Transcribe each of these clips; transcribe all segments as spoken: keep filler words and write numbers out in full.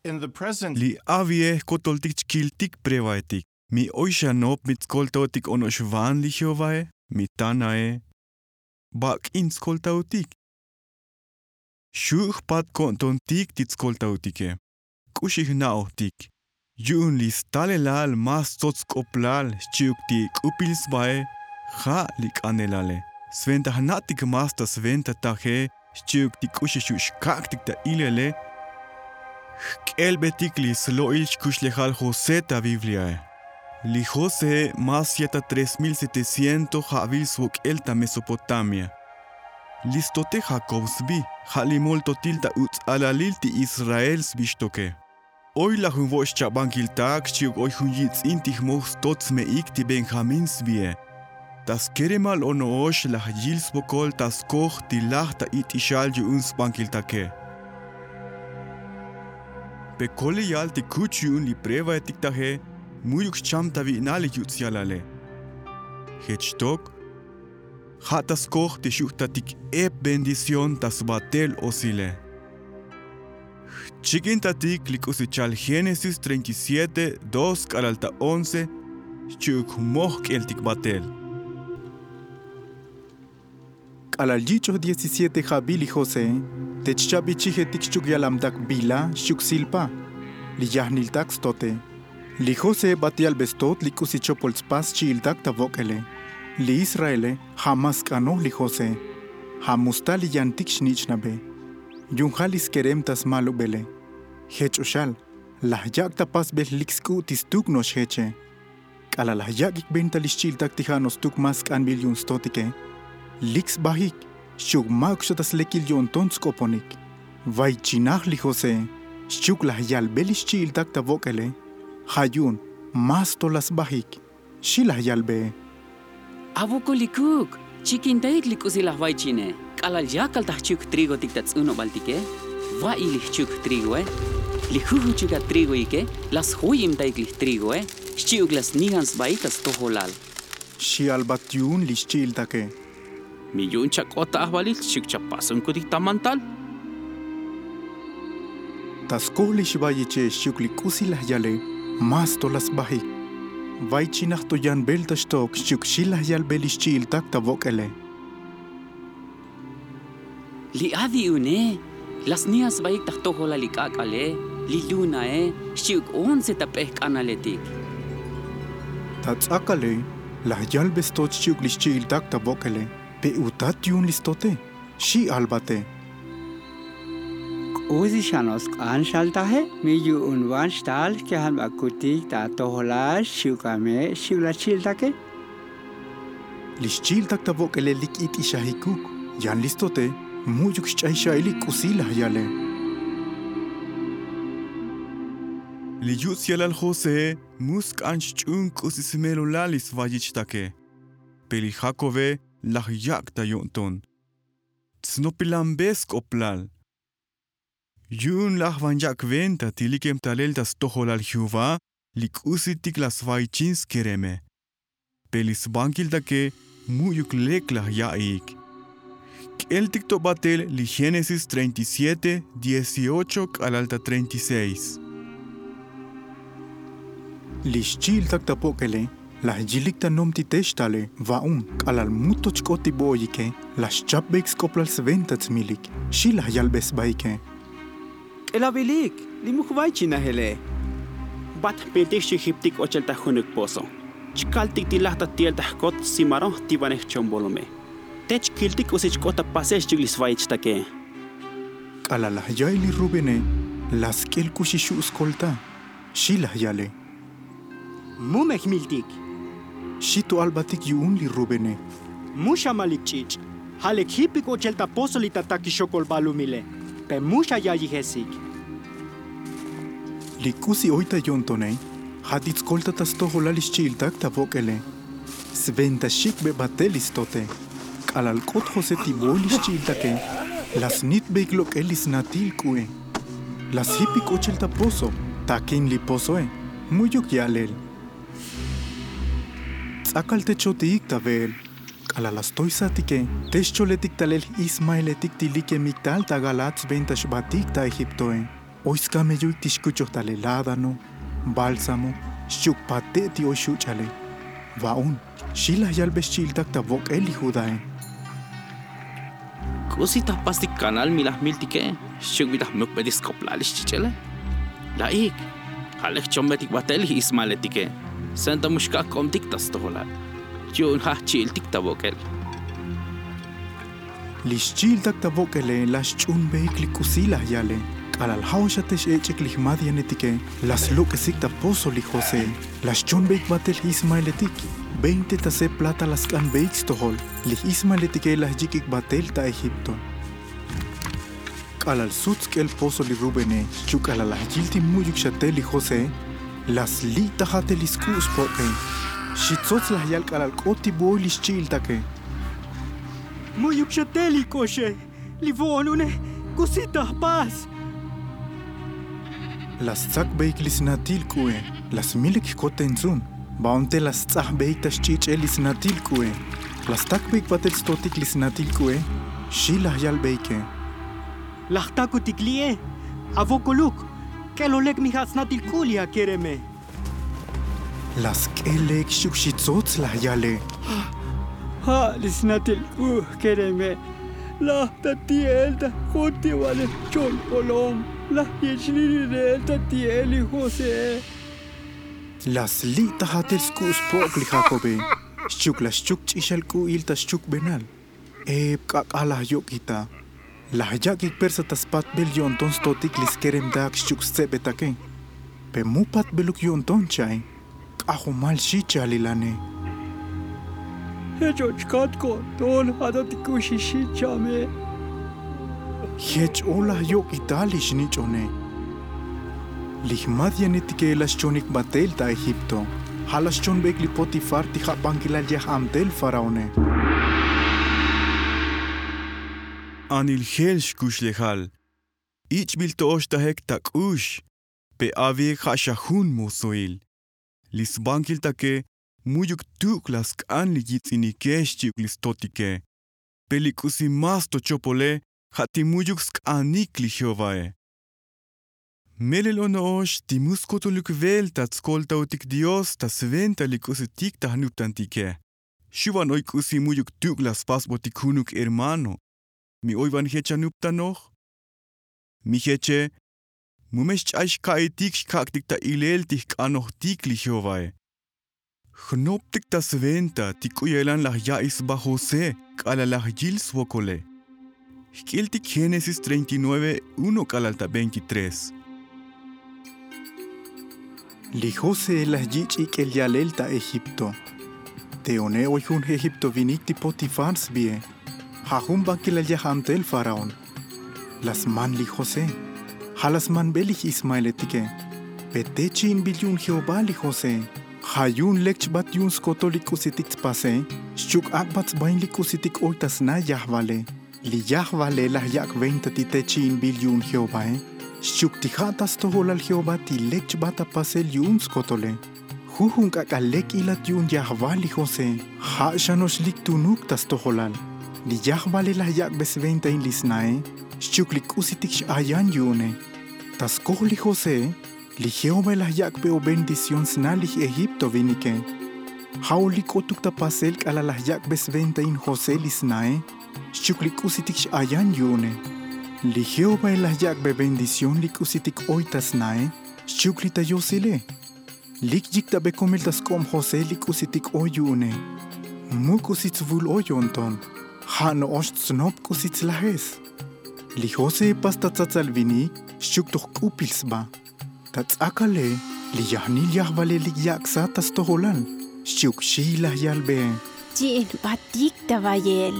In the present. Li avie jkotoltik chkiltik pruebaetik. Mi oy xa nop mi tskoltaotik ono'ox van li jehovae, mi tanae. Bak'in tskoltaotik? Xu' jpat ko'ntontik ti tskoltaotike. K'uxi jna'ojtik? Yu'un li stalelal más tsots sk'oplal xchi'uk ti k'upil sbae, ja' li k'anelale. Sventa jna'tik más ta sventa taje xchi'uk ti k'uxi xu' xkak'tik ta ilele. Jk'elbetik li slo'il xkuxlejal josé ta bibliae. Li josee más ya' ta tres mil setecientos ja'vil svok'el ta mesopotamia. Li stote jakob sbi, ja' li moltotil ta uts'alalil ti israel sbi xtoke. Oy laj jun vo' xchabankiltak xchi'uk oy jun yitz'in ti jmoj stot sme'ik ti benjamín sbie. Ta skeremal ono'ox laj yil svokol ta skoj ti laj ta it'ixal yu'un sbankiltake. Pe koleyal ti kuch yu'un li pruebaetik taje, mu'yuk xcham ta vi'nal li yuts' yalale. Jech xtok, ja' ta skoj ti xu' jtatik ep bendición ta sbatel osile. Jchikintatik li k'usi chal génesis treinta y siete dos k'alal ta once, xchi'uk moj k'eltik batel. K'alal yich'oj diecisiete ja'bil li josee, te chchabichijetik xchi'uk yalamtak bila xchi'uk silpa, li yajniltak stote. Li josee bat yalbe stot li k'usi chopol tspas xchi'iltak ta vok'ele. Li israele ja' más sk'anoj li josee. Ja' mu sta li yantik xnich'nabe. Yu'un ja' li skerem ta smalubele. Jech o xal, laj yak' ta pasbel lik sk'u' ti stuk no'ox jeche. K'alal laj yak'ik venta li xchi'iltak ti ja' no'ox stuk más sk'anbil yu'un stotike, lik sbajik xchi'uk ma'uk xa ta slekil yo'nton tsk'oponik. Vaychinaj li josee xchi'uk laj yalbe li xchi'iltak ta vok'ele. Ja' yu'un más to laj sbajik, xi laj yalbee. Avokolikuk, chikintaik li k'usi laj vaychine. K'alal yakal ta jchi'uk jtrigotik ta ts'unubaltike, va'i li jchi'uk jtrigoe. Li jujuchuk atrigoike, laj sjoyimtaik li jtrigoe xchi'uk laj snijan sbaik ta stojolal. Xi albat yu'un li xchi'iltake. Mi yu'un chak'ot ta ajvalil xchi'uk chapasonkutik ta mantal. Ta skoj li xvayiche xchi'uk li k'usi laj yale, más to laj sbajik. Vaychinaj to yan velta xtok xchi'uk xi laj yalbe li xchi'iltak ta vok'ele. Li avi une, laj snijan sbaik ta jtojolal li k'ak'ale, li lunae xchi'uk once ta p'ej k'analetik. Ta ts'akale, laj yalbe stot xchi'uk li xchi'iltak ta vok'ele. Pe utat yu'un li stote, xi albate. K'usi xa no'ox sk'an xaltaje, mi yu'un van xtal jkejanbakutik ta atojolal xchi'uk ame' xchi'uk laj xchi'iltake. Li xchi'iltak ta vok'ele lik it'ixajikuk. Yan li stote, mu'yuk xch'ay xa'ilik k'usi laj yale. Li yuts' yalal josee mu sk'an xch'uun k'usi smelulal li svayichtake. Pe li jakobe laj yak' ta yo'nton. Tsnopilanbe sk'oplal. Yu'un laj van yak' venta ti likem talel ta stojolal jehová, li k'usitik laj svaychin skereme. Pe li sbankiltake, mu'yuk lek laj ya'iik. K'eltik to batel li génesis treinta y siete dieciocho k'alal ta treinta y seis. Li xchi'iltak ta vok'ele, laj yilik ta nomtitex tale. Va'un, k'alal mu to chk'ot ti vo'oyike, laj xchapbeik sk'oplal sventa tsmilik. Xi laj yalbe sbaike. K'elavilik, li mu jvaychinajele. Bat jpiltik xchi'uk jiptik ochel ta junuk pozo. Chkaltik ti laj ta ti'el ta jkot simaron jtivanej jchombolome. Te chkiltik k'usi chk'ot ta pasel xchi'uk li svayichtake. K'alal laj ya'i li rubene, laj sk'el k'usi xu' skolta. Xi laj yale. Mu me jmiltik. Xi to albatik yu'un li rubene. Mu xamalik ch'ich'. Ja' lek jipik ochel ta pozo li tatakix xokol balumile. Pe mu xaya'ijesik. Li k'usi oy ta yo'ntone, ja' ti tskolta ta stojolal li xchi'iltak ta vok'ele. Sventa xik'be batel li stote. K'alal k'ot josé ti voy li xchi'iltake, laj snitbeik lok'el li snatil k'u'e. Laj sjipik ochel ta pozo. Takin li pozoe, mu'yuk ya'lel. Ts'akal te chotiik ta ve'el. K'alal laj stoysatike, te xcholetik talel j'ismaeletik ti likemik tal ta galaad sventa xbatik ta egiptoe. Oy skameyuik ti xkuchoj ta le ládano, bálsamo, xchi'uk pate' ti oy xuch'ale. Va'un, xi laj yalbe xchi'iltak ta vok'el li judae. K'usi ta jpastik kanal mi laj miltike, xchi'uk bi ta jmukbetik sk'oplal li xchich'ele. La'ik, ja' lek jchombetik batel li ismaeletike, senta mu xkak' k'obtik ta stojolal, yu'un ja' jchi'iltik ta vok'el. Li xchi'iltak ta vok'ele laj xch'unbeik li k'usi laj yale. K'alal ja' o xa te xech'ik li jmadianetike, laj slok'esik ta pozo li josé. Laj xchonbeik batel j'ismaeletik. Veinte ta se plata laj sk'anbeik stojol. Li j'ismaeletike laj yik'ik batel ta egipto. K'alal sut sk'el pozo li rubene, xchi'uk k'alal laj yil ti mu'yuk xa tel li josé, laj sli' ta ja'tel li sk'u' spok'e. Xi tsots laj yal k'alal k'ot ti bu oy li xchi'iltake. Mu'yuk xa tel li k'oxe, li vo'on une, k'usi ta jpas. Laj stsakbeik li snatil k'u'e. Laj smilek jkotentzun. Va'un te laj sts'ajbeik ta xch'ich'el li snatil k'u'e. Laj stakbeik batel stotik li snatil k'u'e. Xi laj yalbeike. Laj jtakutik li'e. Avokoluk, k'elo lek mi ja' snatil k'u' li akereme. Laj sk'el lek xchi'uk xi tsots laj yale. Ja' li snatil k'u' jkereme. Laj ta ti'el ta jun ti va'le jchon k'olom. Laj yich' li rirel ta ti'el li josé. Laj sli' ta ja'tel sk'u' spok' li jakobe. Xchi'uk laj xchuk ch'ixal k'u'il ta xchukbenal. Ep k'ak'al laj yok'ita. Laj yak'ik persa ta spatbel yo'nton stotik li skeremtak xchi'uk stsebetake. Pe mu patbeluk yo'nton cha'e. K'ajomal xi chalilane. Jech o chkat ko'nton ja' to ti k'uxi xi chame. Jech o laj yok'ital li xnich'one. Li jmadianetike laj xchonik batel ta egipto. Ja' laj xchonbeik li potifar ti ja' bankilal yaj antel faraone. Anil jel xkuxlejal. Ich'bil to oxtajek ta k'ux. Pe avik ja' xa jun mosoil. Li sbankiltake mu'yuk tuk' laj sk'an li yits'inike xchi'uk li stotike. Pe li k'usi más to chopole ja' ti mu'yuk sk'anik li jehovae. Melel ono'ox ti mu skotoluk vel ta tskoltaotik dios ta sventa li k'usitik ta jnuptantike. Xu' van oy k'usi mu'yuk tuk' laj spasbotik junuk hermano. Mi oy van jech anuptanoj? Mi jeche, mu me xch'ay xka'itik xkak'tik ta ilel ti jk'anojtik li jehovae. Jnoptik ta sventa ti k'u ya'ilan laj ya'iy sba josé k'alal laj yil svokole. Jk'iltik génesis treinta y nueve uno k'alal ta veintitrés. Li josé laj yich' ik'el yalel ta egipto. Te one oy jun egipto vinik ti potifar sbie. Ja' jun bankilal yaj antel faraón. Laj sman li josé. Ja' laj smanbe li j'ismaeletike. Pe te chi'inbil yu'un jehová li josé. Ja' yu'un lek chbat yu'un skotol li k'usitik tspase. Xchi'uk ak'bat sbain li k'usitik oy ta sna yajvale. Li yajvale laj yak' venta ti te chi'inbil yu'un jehovae. Xchi'uk ti ja' ta stojolal jehová ti lek chbat ta pasel yu'un skotole. Jujun k'ak'al lek ilat yu'un yajval li josé. Ja' xa no'ox lik tunuk ta stojolal. Li yajvale laj yak'be sventain li snae. Xchi'uk li k'usitik x'ayan yu'une. Ta skoj li josé. Li jehovae laj yak'be o bendición sna li j'egipto vinike. Ja' o lik k'otuk ta pasel k'alal laj yak'be sventain josé li snae. Xchi'uk li k'usitik x'ayan yu'une. Li jehovae laj yak'be bendición li k'usitik oy ta snae. Xchi'uk li ta yosile. Lik yiktabe komel ta sk'ob josé li k'usitik oy yu'une. Mu k'usi tsvul oy yo'nton. Ja' no'ox tsnop k'usi tslajes. Li josé pas ta tsatsal vinik. Xchi'uk to jk'upil sba. Ta ts'akale. Li yajnil yajvale lik yak' sat ta stojolal. Xchi'uk xi laj yalbe. Chi'in batik ta vayel.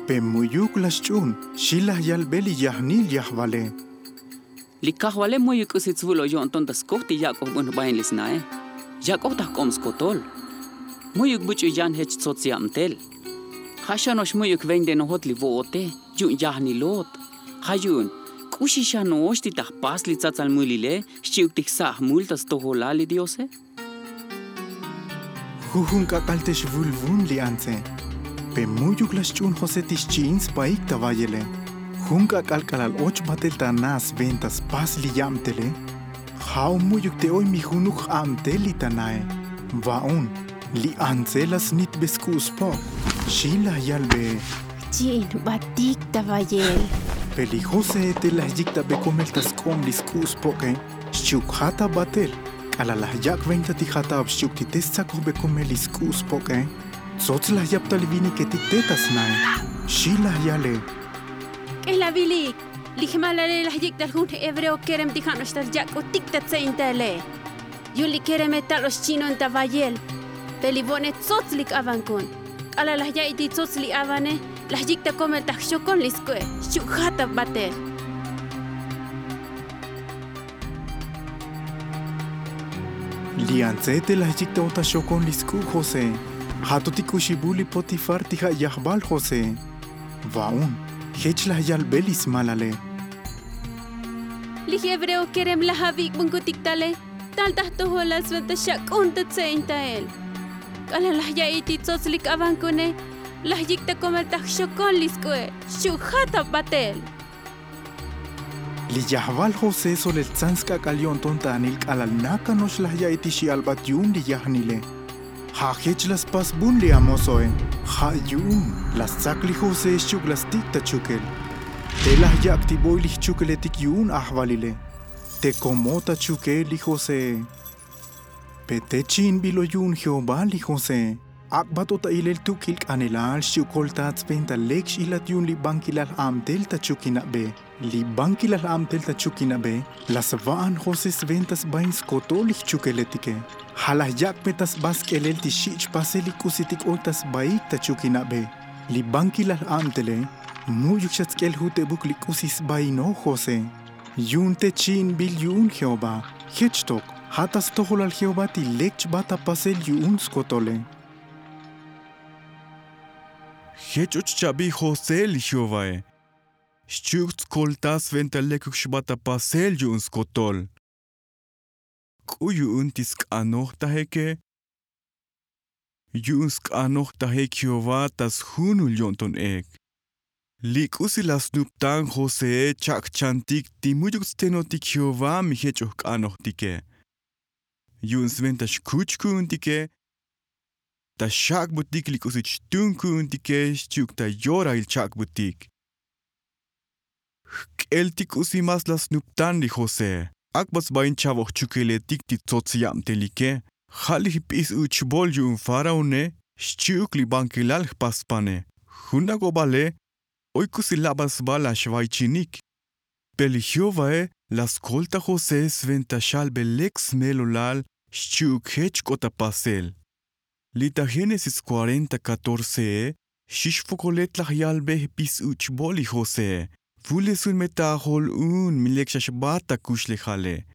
Pe mu'yuk laj xch'un. Xi laj yalbe li yajnil yajvale. Li kajvale mu'yuk k'usi tsvul oy yo'nton ta skoj ti yak'oj bun jbain li snae. Yak'oj ta jk'ob skotol. Mu'yuk buch'u yan jech tsots yabtel. Ja' xa no'ox mu'yuk vendenojot li vo'ote. Yu'un yajnilot. Ja' yu'un k'uxi xa no'ox ti ta jpas li tsatsal mulile. Xchi'uk ti jsa' jmul ta stojolal li diose. Jujun k'ak'al te xvulvun li antse. Pe mu'yuk laj xch'un josé ti xchi'in sbaik ta vayele. Jun k'ak'al k'alal och batel ta na sventa spas li yabtele, ja' o mu'yuk te oy mi junuk j'abtel li ta nae. Va'un, li antse la snitbe sk'u' spok', xi laj yalbe. Jchi'in jbatik ta vayel. Pe li josee te laj yiktabe komel ta sk'ob li sk'u' spok'e, xchi'uk jata batel. K'alal laj yak' venta ti jataob xchi'uk ti te stsakojbe komel li sk'u' spok'e, tsots laj yap ta li viniketik te ta snae, xi laj yale. K'elavilik, li jmalale laj yik' tal jun jhebreo kerem ti ja' no'ox tal yak'utik ta tse'intaele. Yu'un li kereme tal ox chi'non ta vayel, pe li vo'ne tsots lik avankun. K'alal laj ya'i ti tsots li avane, laj yik' ta komel ta jxokon li sk'u'e, xchi'uk jata batel. Li antse te laj yik' ta ota xokon li sk'u' josee, ja' to ti k'uxibul li potifar ti ja' yajval josee. Va'un, jech laj yalbe li smalale. Li jhebreo kerem laj avik'bunkutik tale, tal ta jtojolal sventa xak'un ta tse'intael. K'alal laj ya'i ti tsots lik avankune, laj yik' ta komel ta jxokon li sk'u'e, xchi'uk jata batel. Li yajval josee solel tsan sk'ak'al yo'nton ta anil k'alal nakan no'ox laj ya'i ti xi'albat yu'un li yajnile. Ja' jech la spasbun li amosoe. Ja' yu'un la stsak li josee xchi'uk la stik' ta chukel. Te laj yak' ti boy li jchukeletik yu'un ajvalile, te kom o ta chukel li josee. Pe te chi'inbil o yu'un jehová li josee, ak'bat o ta ilel tuk'il k'anelal xchi'uk koltat sventa lek x'ilat yu'un li bankilal j'abtel ta chukinabe. Li bankilal j'abtel ta chukinabe, la sva'an josee sventa sbain skotol li jchukeletike. Ja' laj yak'be ta sba sk'elel ti xich' pasel li k'usitik oy ta sbaik ta chukinabe. Li bankilal j'abtele, mu'yuk xa tsk'el jutebuk li k'usi sbainoj josee. Yu'un te chi'inbil yu'un jehová, jech tok, ja' ta stojolal jehová ti lek chba ta pasel yu'un skotole. Jech och chabi josee li jehovae, xchi'uk tskolta sventa lekuk xba ta pasel yu'un skotol. K'u yu'un ti sk'anojtajeke? Yu'un sk'anojtajek jehová ta sjunul yo'nton ek. Li k'usi la snuptan josee chak' jchantik ti mu'yuk tstenotik jehová mi jech oj k'anojtike. Yu'un sventa xkuch ku'untike, ta xak'butik li k'usi chtun ku'untike xchi'uk ta yorail chak'butik. Jk'el ti k'usi mas la snuptan li josee, ak'bat sbain cha'voj chukeletik ti tsots yabtelike. Ja' li jp'is uch'bol yu'un faraone, xchi'uk li bankilal jpaspane. Jun ak'obale, oy k'usi labat sba la xvaychinik. Pe li jehovae la skolta josé sventa xalbe lek smelolal xchi'uk jech k'ot ta pasel. Li ta génesis cuarenta catorcee, xix vokolet laj yalbe jpis uch'bol li josé. Vulesun me ta ajol un mi lek xa xbat ta kuxlejale.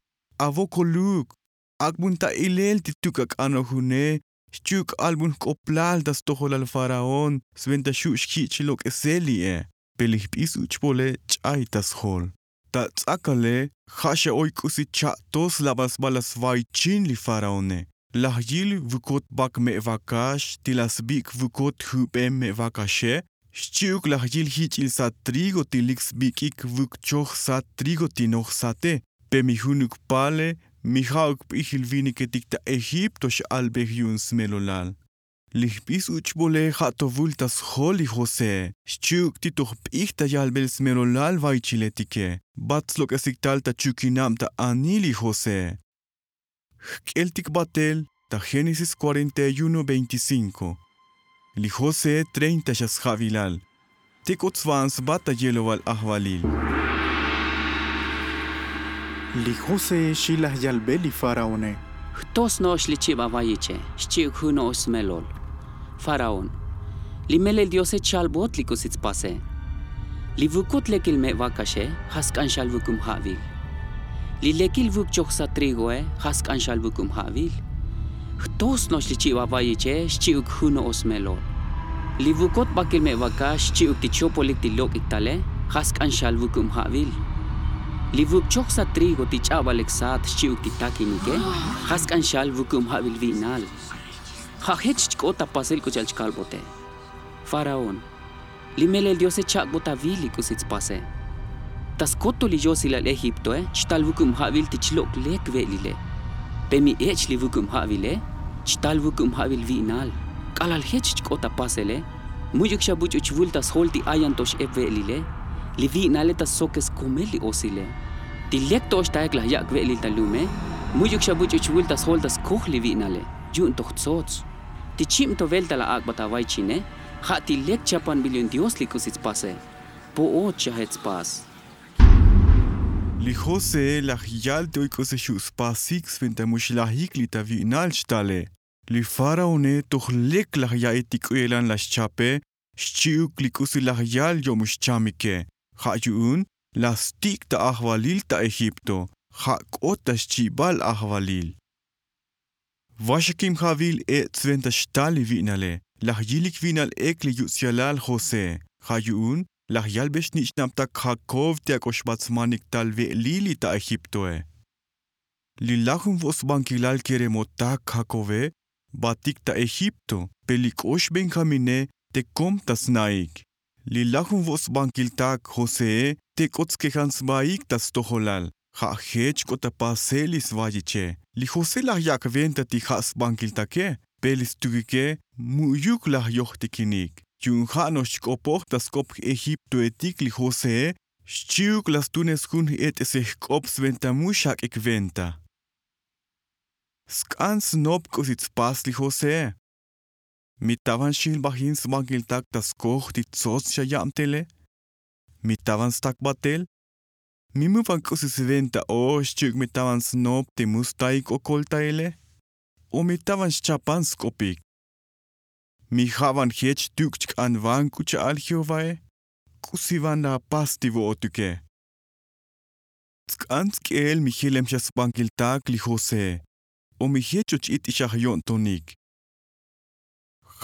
Avokoluk, ak'bun ta ilel ti tuk ak'anoj une xchi'uk k'albun jk'oplal ta stojolal faraón sventa xu' xjich' lok'esel li'e. Pe li jp'is uch'bole ch'ay ta sjol. Ta ts'akale ja' xa oy k'usi cha'to slabal sba la svaychin li faraone. Laj yil vukot bak me' vakax ti la sbik' vukot jube me' vakaxe, xchi'uk laj yil jich'il sat trigo ti lik sbik'ik vuk choj sat trigo ti noj sate. Pe mi junuk pale mi ja'uk p'ijil viniketik ta egipto x'albej yu'un smelolal. Li jp'is uch'bole ja' to vul ta sjol li josé xchi'uk ti to jp'ij ta yalbel smelolal vaychiletike. Bat slok'esik tal ta chukinab ta anil li josé. Jk'eltik batel ta génesis cuarenta y uno veinticinco. Li josé treinta xa sja'vilal. Te k'ot sva'an sba ta yeloval ajvalil. Li josé xi laj yalbe li faraone. Jto sno'ox li chib avayiche xchi'uk jun no'ox smelol. Faraón, li melel diose chalbot li k'usi tspase. Li vukot lekil me' vakaxe ja' sk'an xal vukum ja'vil. Li lekil vuk choj sat trigoe ja' sk'an xal vukum ja'vil. Jto sno'ox li chib avayiche xchi'uk jun no'ox smelol. Li vukot bakil me' vakax xchi'uk ti chopolik ti lok'ik tale ja' sk'an xal vukum ja'vil. Li vuk choj sat trigo ti ch'abal lek sat xchi'uk ti takinike ja' sk'an xal vukum ja'vil vi'nal. Ja' jech chk'ot ta pasel k'u cha'al chkalbote. Faraón, li melel diose chak'bot avil li k'usi tspase. Ta skotol li yosilal egiptoe chtal vukub ja'vil ti chlok' lek ve'lile. Pe mi ech' li vukub ja'vile chtal vukub ja'vil vi'nal. K'alal jech chk'ot ta pasele, mu'yuk xa buch'u chvul ta sjol ti ayan to x'ep ve'lile. Li vi'nale ta stsokes komel li osile. Ti lek to ox taek laj yak' ve'lil ta lume, mu'yuk xa buch'u chvul ta sjol ta skoj li vi'nale, yu'un toj tsots. Ti chib to velta laj ak'bat avaichine, ja' ti lek chapanbil yu'un dios li k'usi tspase. Po'ot xaje tspas. Li josee laj yal ti oy k'usi xu' spasik sventa mu xlajik li ta vi'nal xtale. Li faraone toj lek laj ya'i ti k'uyelan laj xchape, xchi'uk li k'usi laj yal yo'muk xchamike. Ja' yu'un laj stik' ta ajvalil ta egipto, ja' k'ot ta xchibal ajvalil. Vaxakib ja'vil e' tsventa xtal li vi'nale. Laj yilik vi'nal ek li yutz'yalal josee. Ja' yu'un laj yalbe xnich'nabtak jakob ti ak'o xbat smanik tal ve'lil li ta egiptoe. Li lajun vo' sbankilal keremotak jakove batik ta egipto, pe li k'ox benjamine te kom ta sna'ik. Li lajun vo' sbankiltak josee te k'ot skejan sbaik ta stojolal. Ja' jech k'ot ta pasel li svayiche. Li josee laj yak' venta ti ja' sbankiltake, pe li stukike mu'yuk laj yojtikinik. Yu'un ja' no'ox chk'opoj ta sk'op egiptoetik li josee, xchi'uk laj stunes jun j'et'esej jk'op sventa mu xak'ik venta. Sk'an snop k'usi tspas li josee. Mi tavan xilbajin sbankiltak ta skoj ti tsots xa yab tele? Mi tavan stak batel? Mi muvan k'usi sventa o xchi'uk mi tavan snop te mu staik okol taele? O mi tavan xchapan sk'opik? Mi ja'van jech tuk' chk'anvan k'u cha'al jehovae? K'usi van laj pas ti vo'otuke? Tsk'an tsk'el mi jelem xa sbankiltak li josee, o mi jech och it'ixaj yo'ntonik?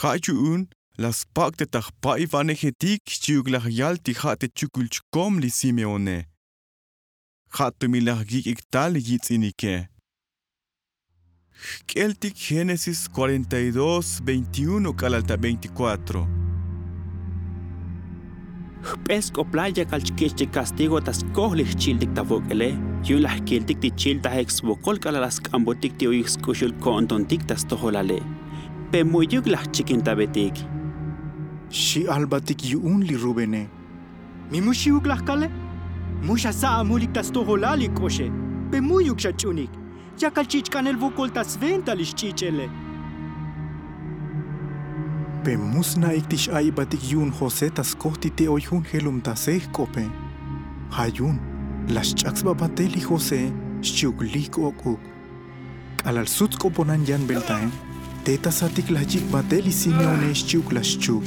Ja' yu'un laj spak' te ta jpa'ivanejetik xchi'uk laj yal ti ja' te chukul chkom li simeone. Ja' to mi laj yik'ik tal li yitz'inike. Jk'eltik génesis cuarenta y dos veintiuno k'alal ta veinticuatro. Jp'e sk'oplal yakal chkich' te kastigo ta skoj li jchi'iltik ta vok'ele, yu'un laj jkiltik ti chiltajik svokol k'alal laj sk'ambotik ti oyuk sk'uxul ko'ntontik ta stojolale. Pe mu'yuk laj jchikintabetik. Xi albatik yu'un li rubene. Mi mu xi'uk laj kale? Mu xasa' amulik ta stojolal li k'oxe. Pe mu'yuk xach'unik. Yakal ch'ich'k'anel vokol ta sventa li xch'ich'ele. Pe mu sna'ik ti x'a'ibatik yu'un josé ta skoj ti te oy jun jelumtasej jk'ope. Ja' yu'un laj xch'ak sba batel li josé xchi'uk lik ok'uk. K'alal sut sk'oponan yanbeltae, te ta satik laj yik' batel li simeone xchi'uk laj xchuk.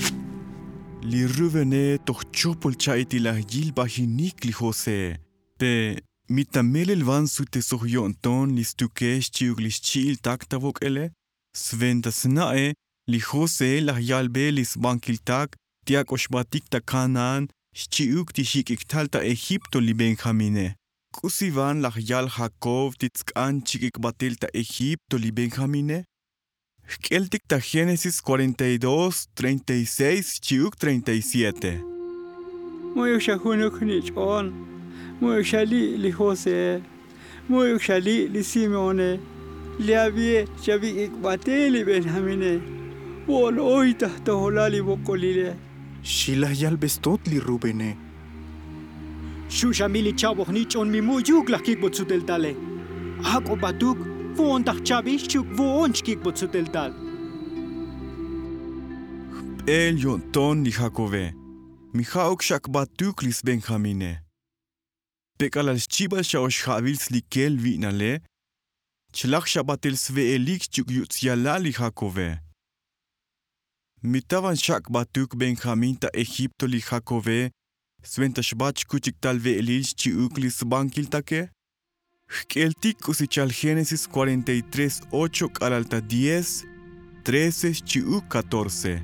Li rubene toj chopol cha'i ti laj yilbajinik li josé. Pe mi ta melel van sutesoj yo'nton li stuke xchi'uk li xchi'iltak ta vok'ele? Sventa sna'e li josé laj yalbe li sbankiltak ti ak'o xbatik ta kanaan xchi'uk ti jik'ik tal ta egipto li benjamine. K'usi van laj yal jakob ti tsk'an chik'ik batel ta egipto li benjamine? Jk'eltik ta génesis cuarenta y dos treinta y seis xchi'uk treinta y siete. Mu'yuk xa junuk jnich'on. Mu'yuk xa li' li josé. Mu'yuk xa li' li simeone. Li avie xavik'ik batel li benjamine. Vo'ol oy ta jtojolal li vok'olile. Xi laj yalbe stot li rubene. Xu' xa mi li cha'boj nich'on mi mu'yuk laj kik'bot suteltale. Ak'o batuk vo'on ta jcha'bil xchi'uk vo'on chkik'bot suteltal. Jp'el yo'nton li jakobe. Mi ja'uk xak batuk li sbenjamine. Pe k'alal xchibal xa ox ja'vil slikel vi'nale, chlaj xa batel sve'elik xchi'uk yutz'yalal li jakobe. Mi tavan xak' batuk benjamín ta egipto li jakobe sventa xbat xkuchik tal ve'elil xchi'uk li sbankiltake? Jk'eltik k'usi chal génesis cuarenta y tres ocho k'alal ta diez trece xchi'uk catorce.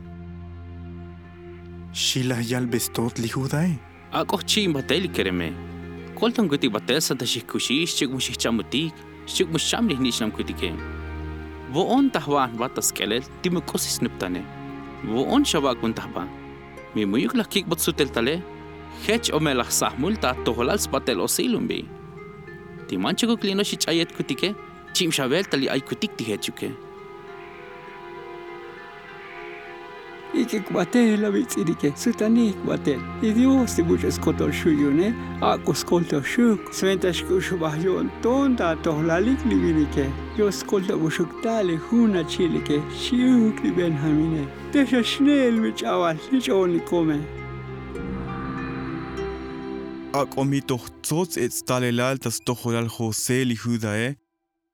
Xi laj yalbe stot li judae. Ak'o jchi'in batel li kereme. Koltonkutik batel sventa xijkuxix xchi'uk mu xijcha'mutik xchi'uk mu xcham li jnich'nam kutike. Vo'on ta jva'an jba ta sk'elel ti mu k'usi snuptane. Vo'on xavak'bon ta jba. Mi mu'yuk laj kik'bot suteltale. Jech o me laj sa'jmul ta atojolal sbatel osil umbi. Ti manchukuk li no'ox ich'ayet kutike, chib xa velta li ay kutik ti jechuke. Ik'ik batel avitz'inike, sutanik batel. Li dios ti buch'u skotol xu' yu'une, ak'o skoltoj xuk. Sventa xk'uxubaj yo'nton ta atojolalik li vinike. Yo skoltoj buxuk ta li jun achi'like, xchi'uk li benjamine. Te xa xne'el mi ch'abal li ch'o'onikome. Ak'o mi toj tsots ech stalelal ta stojolal josé li judae,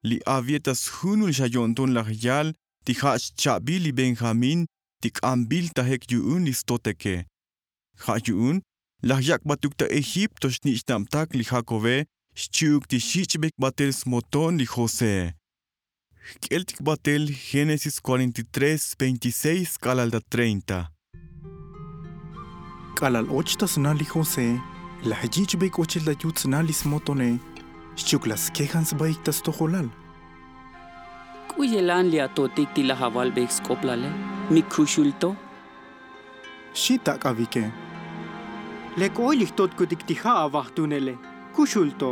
li avie ta sjunul xa yo'nton laj yal ti ja' xcha'bil li benjamín ti k'ambil tajek yu'un li stoteke. Ja' yu'un laj yak'batuk ta egipto xnich'nabtak li jakobe, xchi'uk ti xich'bek batel smoton li josee. Jk'eltik batel génesis cuarenta y tres veintiséis k'alal ta treinta. K'alal och ta sna li josee, laj yich'bek ochel ta yut sna li smotone, xchi'uk laj skejan sbaik ta stojolal. K'u yelan li atotik ti laj avalbeik sk'oplale? Mi kuxul to. Xi tak'avike. Lek oy li jtotkutik ti ja' avajtunele, kuxul to.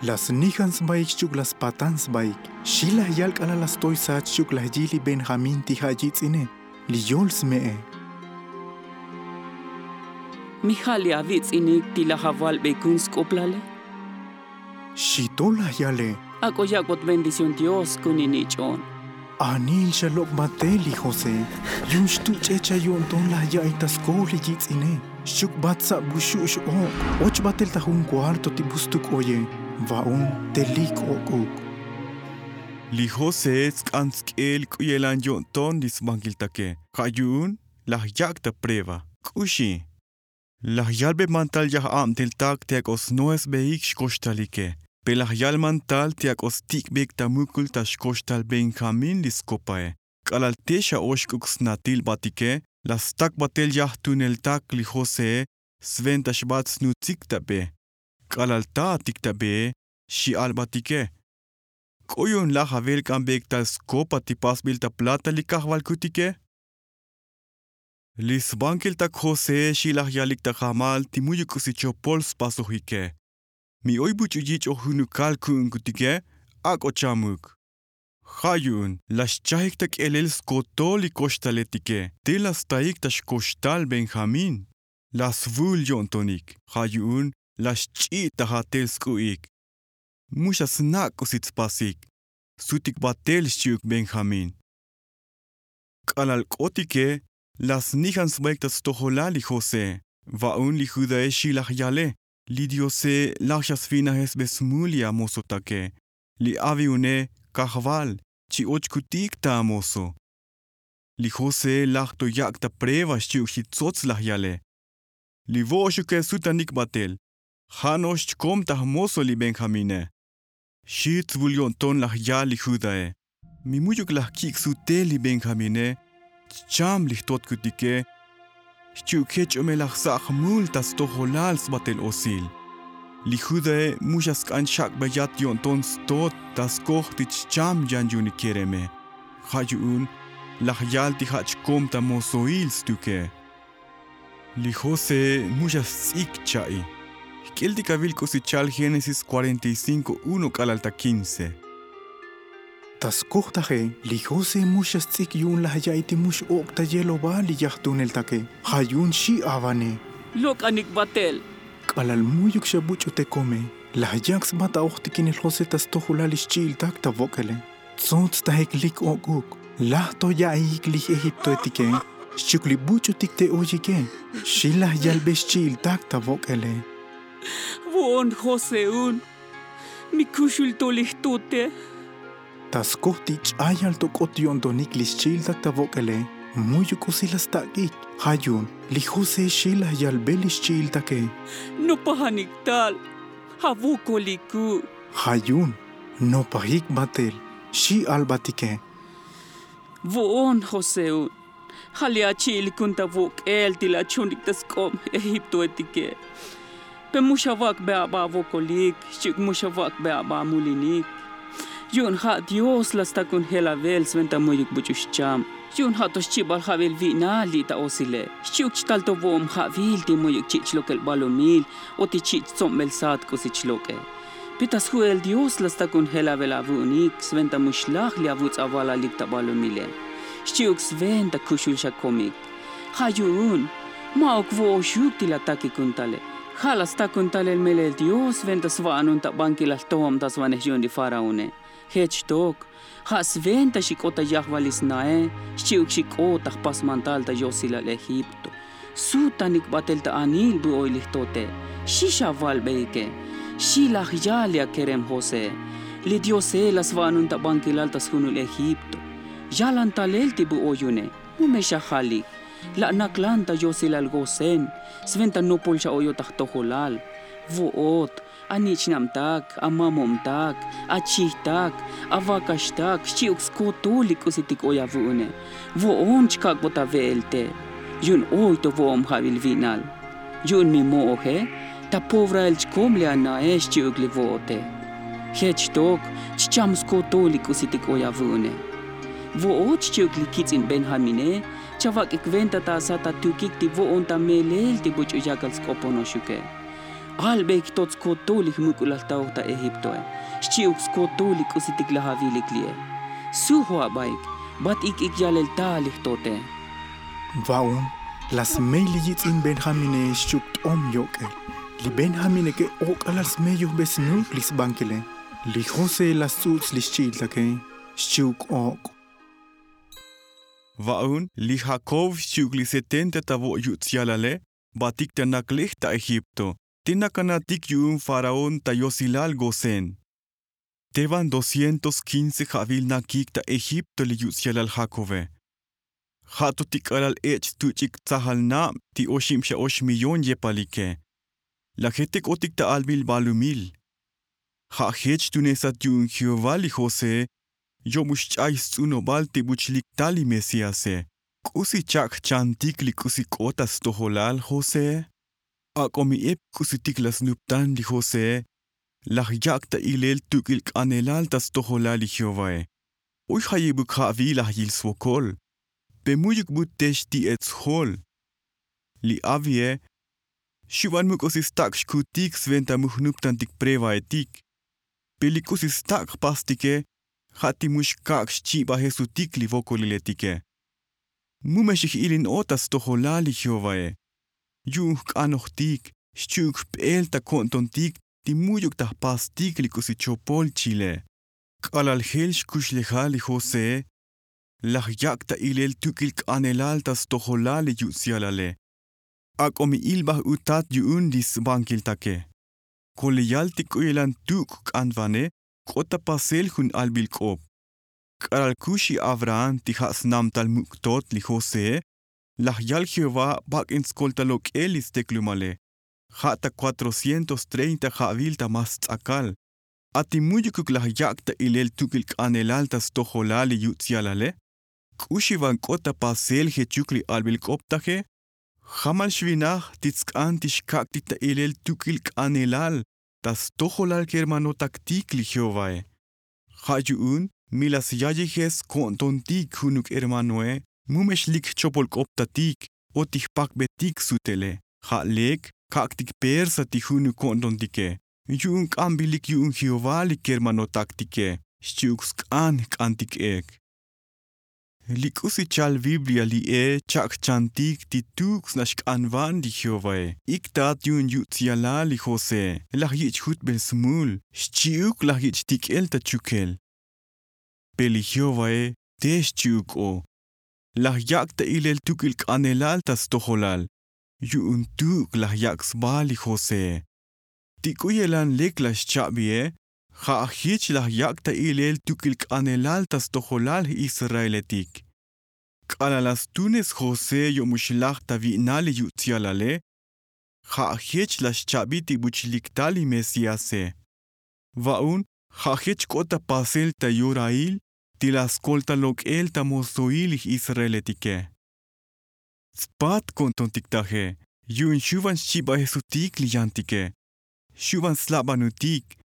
Laj snijan sbaik xchi'uk laj spatan sbaik. Xi laj yal k'alal laj stoy sach xchi'uk laj yil li benjamín ti ja' yitz'ine, li yol sme'e. Mi ja' li avitz'inik ti laj avalbeikun sk'oplale? Xi to laj yale. Ak'o yak'bot bendición dios kun inich'o'on. Anil xa lok' batel li josé. Yu'un xtuch'ech xa yo'nton laj ya'i ta skoj li yitz'ine, xchi'uk bat sab bu xu' x-ok'. Och batel ta jun kuarto ti bu stuk oye, va'un te lik ok'uk. Li josé tsk'an tsk'el k'u yelan yo'nton li sbankiltake. Ja' yu'un laj yak' ta prueba. K'uxi. Laj yalbe mantal yaj abteltak ti ak'o snoesbeik xkoxtalike. Pe laj yal mantal ti ak'o stik'beik ta mukul ta xkoxtal benjamín li skopae. K'alal te xa oxk'uk snatil batike, laj stak batel yajtuneltak li josee, sventa xbat snutsik ta be. K'alal ta'atik ta bee, xi albatike. K'o yu'un laj avelk'anbeik tal skopa ti pasbil ta plata li kajvalkutike? Li sbankiltak josé xi laj yalik ta jamal ti mu'yuk k'usi chopol spasojike. Mi oy buch'u yich'oj junukal ku'unkutike, ak'o chamuk. Ja' yu'un laj xchajik ta k'elel skotol li koxtaletike, te laj staik ta xkoxtal benjamín. Laj svul yo'ntonik, ja' yu'un laj xch'i' ta jatel sk'u'ik. Mu xa snak' k'usi tspasik. Sutik batel xchi'uk benjamín. K'alal k'otike, laj snijan sbaik ta stojolal li josé. Va'un li judae xi laj yale. Li diose laj xa svinajesbe smul li amozotake. Li aviune, kajval, chi'ochkutik ta amozo. Li josé laj to yak' ta prueba xchi'uk xi tsots laj yale. Li vo'oxuke sutanik batel, ja' no'ox chkom ta jmozo li benjamine. Xi tsvul yo'nton laj yal li judae. Mi mu'yuk laj kik' sutel li benjamine, chcham li jtotkutike, xchi'uk jech o me laj sa' jmul ta stojolal sbatel osil. Li judae mu xa sk'an xak'beyat yo'nton stot ta skoj ti chcham yan yu'un li kereme. Ja' yu'un laj yal ti ja' chkom ta mozoil stuke. Li josé mu xa sts'ik cha'i. Jk'eltik avil k'usi chal génesis cuarenta y cinco uno k'alal ta quince. Ta skoj taje, li josé mu xa sts'ik yu'un laj ya'i ti mu x-ok' ta yeloval li yajtuneltake. Ja' yu'un xi avane. Lok'anik batel. K'alal mu'yuk xa buch'u te kome, laj yak' sba ta ojtikinel josé ta stojolal li xchi'iltak ta vok'ele. Tsots tajik lik ok'uk. Laj to ya'iik li j'egiptoetike, xchi'uk li buch'utik te oyike. Xi laj yalbe xchi'iltak ta vok'ele. Vo'on joseun, mi kuxul to li jtute. Ta skoj ti ch'ayal to k'ot yo'ntonik li xchi'iltak ta vok'ele, mu'yuk k'usi laj stak'ik. Ja' yu'un li josé xi laj yalbe li xchi'iltake. Nopajanik tal, ja' vokoliku'. Ja' yu'un nopajik batel, xi albatike. Vo'on joseun, ja' li achi'ilikun ta vok'el ti laj achonik ta sk'ob egiptoetike. Pe mu xavak'be aba avokolik, xchi'uk mu xavak'be aba amulinik. Yu'un ja' dios laj stakun jelavel sventa mu'yuk buch'u xcham. Yu'un ja' to xchibal ja'bil vi'nal li' ta osile, xchi'uk chtal to vo'ob ja'bil ti mu'yuk chi' chlokel balumil o ti chi' chtsombel sat k'usi chlok'e. Pe ta sju'el dios la stakun jelavel avu'unik sventa mu xlaj li avuts' avalalik ta balumile, xchi'uk sventa kuxul xa komik. Ja' yu'un ma'uk vo'oxuk ti la takikun tale. Ja' la stakun talel melel dios sventa sva'anun ta bankilal jtojobtasvanej yu'un li faraone. Jech tok ja' sventa xik'ot ta yajval li snae, xchi'uk xik'ot ta jpasmantal ta yosilal egipto. Sutanik batel ta anil bu oy li jtote. Xi xavalbeike. Xi laj yal li akerem josee. Li diose la sva'anun ta bankilal ta sjunul egipto. Yalan talel ti bu oyune. Mu me xajalik. La' naklan ta yosilal gosen. Sventa nopol xa oyot ta jtojolal. Vo'ot, anich'nabtak, amamobtak, achijtak, avakaxtak xchi'uk skotol li k'usitik oy avu'une. Vo'on chkak'bot ave'el te. Yu'un oy to vo'ob ja'bil vi'nal. Yu'un mi mo'oje ta pobrael chkom li anae xchi'uk li vo'ote. Jech tok chcham skotol li k'usitik oy avu'une. Vo'ot xchi'uk li kitz'in benjamine. Chavak'ik venta ta asat atukik ti vo'on ta melel ti buch'u yakal sk'oponoxuke. Albeik tot skotol li jmuk'ulal taoj ta egiptoe. Xchi'uk skotol li k'usitik laj avilik li'e. Sujo abaik. Bat ik'ik yalel tal li jtote. Va'un la smey li yitz'in benjamine xchi'uk t'om yok'el. Li benjamineke ok'alal smey yujbe snuk li sbankile. Li josee la sts'uts' li xchi'iltake. Xchi'uk ok'. Va'un li jakob xchi'uk li setenta ta vo' yuts' yalale. Batik ta naklej ta egipto. Te nakanatik yu'un faraón ta yosilal gosen. Te van doscientos quince ja'vil nakik ta egipto li yuts' yalal jakobe. Ja' to ti k'alal ech' tuch'ik tsajal nab ti oxib xa ox millón yepalike. Lajetik otik ta albil balumil. Ja' jech tunesat yu'un jehová li josee. Yo'mux ch'ay sts'unobal ti buch'lik tal li mesíase. K'usi chak' jchantik li k'usi k'ot ta stojolal josee? Ak'o mi ep k'usitik la snuptan li josee. Laj yak' ta ilel tuk'il k'anelal ta stojolal li jehovae. Oy jayibuk ja'vil laj yil svokol. Pe mu'yuk bu te xti'et sjol. Li avie. Xuvan muk'usi stak' xkutik sventa mu jnuptantik prevaetik. Pe li k'usi stak' jpastike ja' ti mu xkak' xchibajesutik li vokoliletike. Mu me xij'ilin o ta stojolal li jehovae. Yu'un jk'anojtik xchi'uk jp'el ta ko'ntontik ti mu'yuk ta jpastik li k'usi chopol chile. K'alal jel xkuxlejal li josee. Laj yak' ta ilel tuk'il k'anelal ta stojolal li yuts' yalale. Ak'o mi ilbaj utat yu'un li sbankiltake. Koleyal ti k'uyelan tuk' k'anvane k'ot ta pasel jun albil k'op. K'alal kuxi abraham ti ja' snamtal muk' tot li josee. Laj yal jehová bak'in skoltal lok'el li steklumale. Ja' ta cuatrocientos treinta ja'vil ta mas ts'akal. A ti mu'yukuk laj yak' ta ilel tuk'il k'anelal ta stojolal li yuts' yalale. K'uxi van k'ot ta pasel jechuk li albil k'op taje. Jamal xvinaj ti tsk'an ti xkak'tik ta ilel tuk'il k'anelal ta stojolal kermanotaktik li jehovae. Ja' yu'un mi la syayijes ko'ntontik junuk hermanoe. Mu me xlik jchopol k'optatik o ti jpakbetik sutele. Ja' lek kak'tik persa ti junuk ko'ntontike. Yu'un k'ambilik yu'un jehová li kermanotaktike. Xchi'uk sk'an jk'antik ek. Li k'usi chal biblia li'e chak' jchantik ti tuk' sna xk'anvan li jehovae. Iktat yu'un yuts' yalal li josee. Laj yich' jutbel smul xchi'uk laj yich' tik'el ta chukel. Pe li jehovae te xchi'uk o. Laj yak' ta ilel tuk'il k'anelal ta stojolal. Yu'un tuk' laj yak' sba li josee. Ti k'uyelan lek la xcha'bie. Ja' jich laj yak' ta ilel tuk'il k'anelal ta stojolal israeletik. K'alal la stunes josé yo'mux laj ta vi'nal li yutz'yalale, ja' jech la xcha'bi ti buch'lik tal li mesíase. Va'un ja' jech k'ot ta pasel ta yorail ti la skolta lok'el ta mosoil li israeletike. Tspat ko'ntontik taje yu'un xu' van xchibajesutik li yantike, xu' van slabanutik,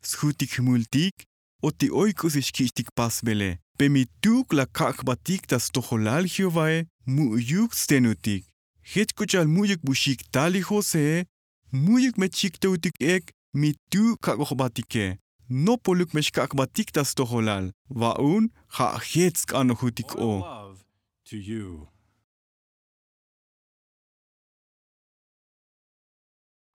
sjutik jmultik o ti oy k'usi xkich'tik pasbele. Pe mi tu'uk la kak' jbatik ta stojolal jehovae, mu'yuk tstenutik. Jech k'u cha'al mu'yuk bu xik' tal li josee, mu'yuk me chik to utik ek mi tu'uk kak'o jbatike. Nopoluk me xkak' jbatik ta stojolal. Va'un ja' jech sk'anojutik o.